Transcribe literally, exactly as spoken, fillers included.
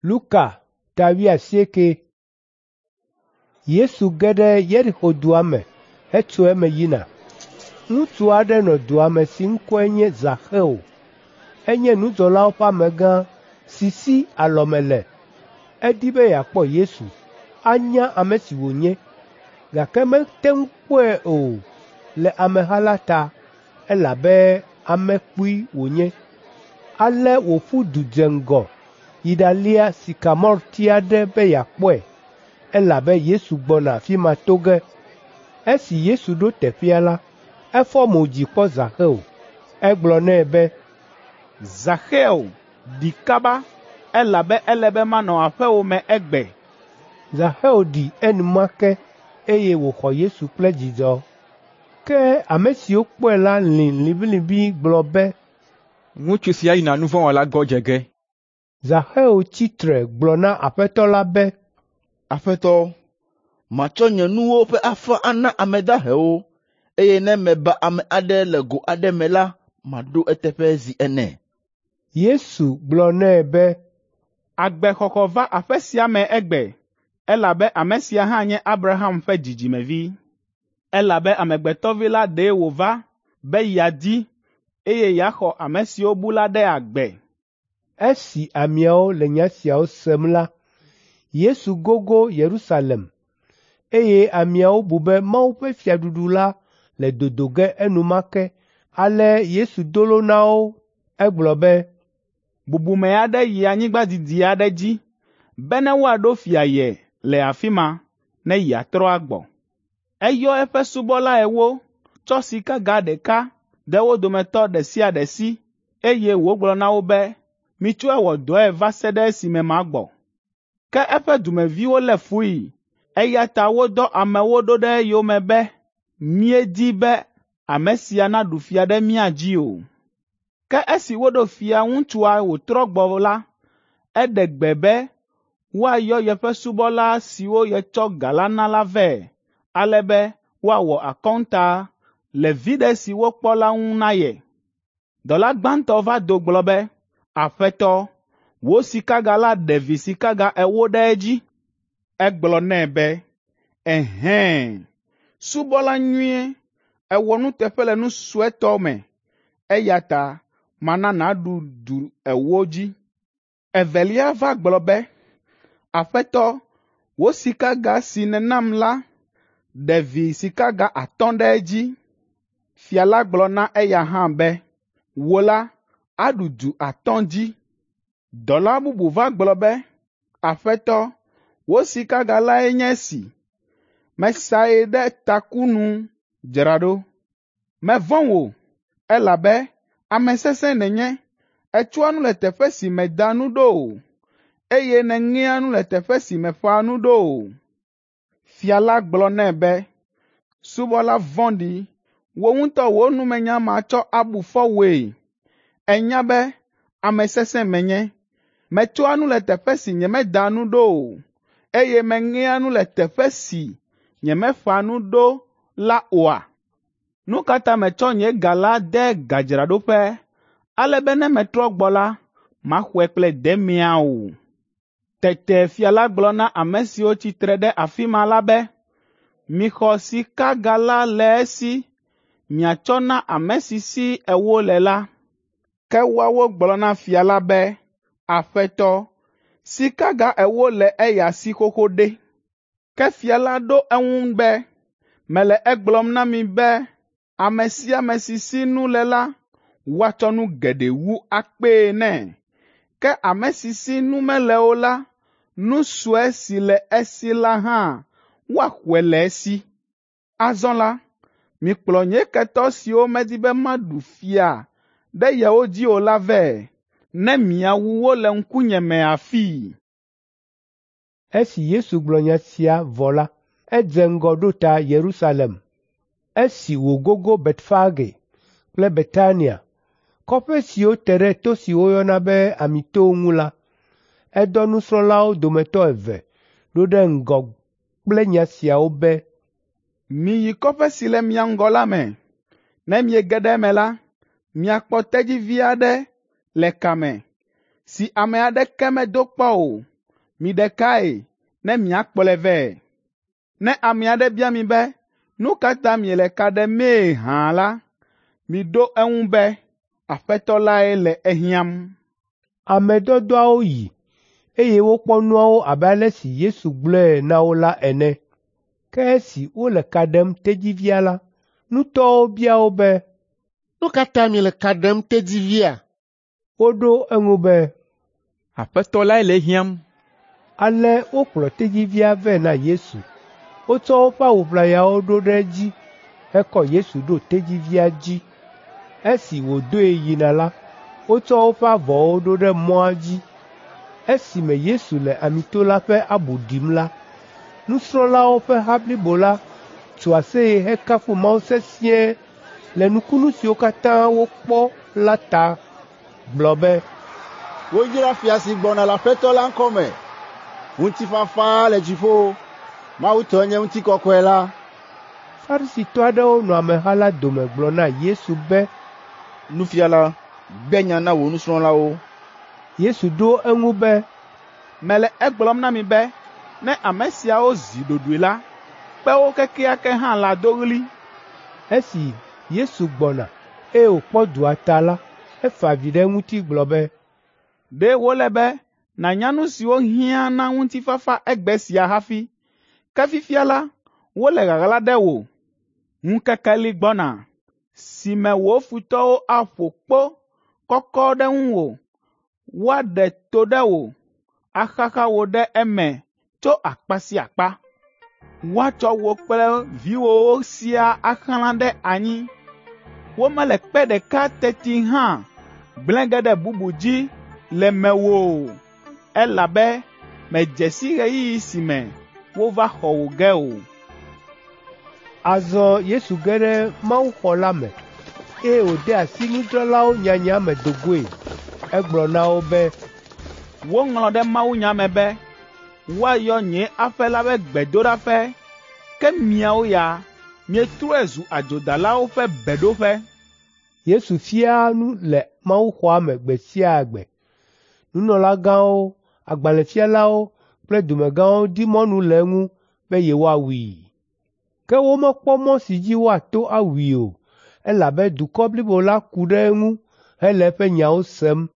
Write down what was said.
Luka ta wuiasieke. Yesu ge ɖe Yeriko dua me hetso eme yina. Ŋutsu aɖe nɔ dua me si ŋkɔe nye Zaxeo. Enye nudzɔlawo ƒe amegã si si alɔme le. Edi be yeakpɔ Yesu, anya ame si wònye, gake mete ŋu kpɔe o le ameha la ta, elabe ame kpui wònye. Ale wòƒu du dze ŋgɔ yi ɖalia sikamorti aɖe be yeakpɔe, elabe Yesu gbɔna afi ma to ge. Esi Yesu ɖo teƒea la, efɔ mo dzi kpɔ Zaxeo. Egblɔ nɛ be, “Zaxeo, ɖi kaba, elabe ele be manɔ aƒewò me egbe.” Zaxeo ɖi enumake eye wòxɔ Yesu kple dzidzɔ. Ke ame siwo kpɔe la lĩ liʋĩliʋĩ gblɔ be, “Ŋutsu sia yina nu vɔ̃ wɔla gbɔ dze ge.” Zaxeo tsi tre gblɔ na Aƒetɔ la be, “Aƒetɔ, matsɔ nye nuwo ƒe afã ana ame dahewo, eye ne meba ame aɖe le go aɖe me la, maɖo eteƒe zi ene.” Yesu gblɔ nɛ be, “Agbexɔxɔ va aƒe sia me egbe, elabe ame sia hã nye Abraham ƒe dzidzimevi. Elabe Amegbetɔ Vi la ɖe wòva be yeadi, eye yeaxɔ ame siwo bu la ɖe agbe.” Esi ameawo le nya siawo sem la, Yesu gogo Yerusalem, eye ameawo bu be Mawu ƒe fiaɖuɖu la le dodo ge enumake. Ale Yesu do lo na wo. Egblɔ be, “Bubume aɖe yi anyigba didi aɖe dzi bene woaɖo fia ye le afi ma ne yeatrɔ agbɔ. Eyɔ eƒe subɔla ewo, tsɔ sikaga ɖeka de wo dometɔ ɖe sia ɖe si, eye wògblɔ na wo be, ‘Mitsɔe wɔ dɔe va se ɖe esime magbɔ.’ Ke eƒe dumeviwo lé fui, eya ta wodɔ amewo ɖo ɖe eyome be, ‘Míedi be ame sia naɖu fia ɖe mía dzi o.’ Ke esi woɖo fia ŋutsua wòtrɔ gbɔ la, eɖe gbe be woayɔ yeƒe subɔla siwo yetsɔ ga la na la vɛ, ale be woawɔ akɔnta le viɖe si wokpɔ la ŋu na ye. Dɔla gbãtɔ va do gblɔ be, ‘Aƒetɔ, wò sikaga la ɖe vi sikaga ewo ɖe edzi.’ Egblɔ nɛ be, ‘Ɛhɛ̃, subɔla nyui, èwɔ nuteƒe le nu suetɔ me, eya ta mana nàɖu du ewo dzi.’ Evelia va gblɔ be, ‘Aƒetɔ, wò sikaga si nènam la ɖe vi sikaga atɔ̃ ɖe edzi.’ Fia la gblɔ na eya hã be, ‘Wò la, aɖu du atɔ̃ dzi.’ Dɔla bubu va gblɔ be, ‘Aƒetɔ, wò sikaga lae nye esi. Mesae ɖe taku nu dzra ɖo. Mevɔ̃ wò, elabe ame sesẽ nènye. Ètsɔa nu le teƒe si mèda nu ɖo o, eye nèŋea nu le teƒe si mèƒã nu ɖo o.’ Fia la gblɔ nɛ be, ‘Subɔla vɔ̃ɖi, wò ŋutɔ wò numenya matsɔ abu fɔ wòe. Ènya be ame sesẽ menye. Metsɔa nu le teƒe si nyemeda nu ɖo o, eye meŋea nu le teƒe si nyemeƒã nu ɖo la oa? Nu ka ta mètsɔ nye ga la de gadzraɖoƒe, ale be ne metrɔ gbɔ la, maxɔe kple demea o?’ Tete fia la gblɔ na ame siwo tsi tre ɖe afi ma la be, ‘Mixɔ sikaga la le esi miatsɔ na ame si si ewo le la.’ Ke woawo gblɔ na fia la be, ‘Aƒetɔ, sikaga ewo le eya si xoxo ɖe!’ Ke fia la ɖo eŋu be, ‘Mele egblɔm na mi be ame sia ame si si nu le la, woatsɔ nu geɖe wu akpee nɛ. Ke ame si si nu mele o la, nu sue si le esi la hã woaxɔe le esi. Azɔ la, mikplɔ nye ketɔ siwo medi be maɖu fia ɖe yewo dzi o la vɛ, ne miawu wo le ŋkunye me afii.’ Esi Yesu gblɔ nya sia vɔ la, edze ŋgɔ ɖo ta Yerusalem. Esi wògogo Betfage kple Betania, kɔƒe siwo te ɖe to si woyɔna be Amitowo ŋu la, edɔ nusrɔ̃lawo dometɔ eve ɖo ɖe ŋgɔ kple nya siawo be, “Miyi kɔƒe si le mia ŋgɔ la me. Ne miege ɖe eme la, miakpɔ tedzivi aɖe le ka me, si ame aɖeke medo kpɔ o. Miɖe kae ne miakplɔe vɛ. Ne ame aɖe bia mi be, ‘Nu ka ta miele ka ɖemee hã la,’ miɖo eŋu be, ‘Aƒetɔ lae le ehiãm.’ ” Ame dɔdɔawo yi, eye wokpɔ nuawo abe ale si Yesu gblɔe na wo la ene. Ke esi wole ka ɖem tedzivia la, nutɔwo bia wo be, “Nu ka ta miele ka ɖem tedzivia?” Woɖo eŋu be, Aƒetɔ lae le ehiãm. Ale wokplɔ tedzivia vɛ na Yesu. Wotsɔ woƒe awu ʋlayawo ɖo ɖe edzi hekɔ Yesu ɖo tedzivia dzi. Esi wòdoe yina la, wotsɔ woƒe avɔwo ɖo ɖe mɔa dzi. Esime Yesu le Amito la ƒe abu ɖim la, nusrɔ̃lawo ƒe ha blibo la tso aseye hekafu Mawu sesĩe le nukunu siwo katã wokpɔ la ta gblɔ be, “Woyra fia si gbɔna le Aƒetɔ la ŋkɔ me. Ŋutifafa le dziƒo, Mawu tɔe nye ŋutikɔkɔe la.” Farisitɔ aɖewo nɔ ameha la dome gblɔ na Yesu be, “Nufiala, gbe nya na wò nusrɔ̃lawo.” Yesu ɖo eŋu be, “Mele egblɔm na mi be ne ame siawo zi ɖoɖoe la, kpewo kekeake hã lado ɣli.” Esi Yesu gbɔna, eye wòkpɔ dua ta la, efa avi ɖe eŋuti gblɔ be, “Ɖe wòle be nànya nu siwo hiã na ŋutifafa egbe sia hafi, ke fifia la, wole ɣaɣla ɖe wò. Ŋkeke li gbɔna si me wò futɔwo aƒo kpo kɔkɔ ɖe ŋuwò, woaɖe to ɖe wò, axaxa wò ɖe eme tso akpa sia akpa. Woatsɔ wò kple viwòwo siaa axlã ɖe anyi. Womele kpe ɖeka teti hã gblẽ ge ɖe bubu dzi le mewò o, elabe mèdze si ɣeyiɣi si me wova xɔ wò ge o.” Azɔ Yesu ge ɖe mawuxɔ la me, eye wòde asi nudzralawo nyanya me do goe. Egblɔ na wo be, “Woŋlɔ ɖe mawunya me be, ‘Woayɔ nye aƒe la be gbedoɖaƒe,’ ke miawo ya mietrɔe zu adzodalawo ƒe beɖoƒe.” Yesu fiaa nu le mawuxɔa me gbe sia gbe. Nunɔlagãwo, agbalẽfialawo kple dumegãwo di mɔnu le eŋu be yewoawui. Ke womekpɔ mɔ si dzi woato awui o, elabe dukɔ blibo la ku ɖe eŋu hele eƒe nyawo sem.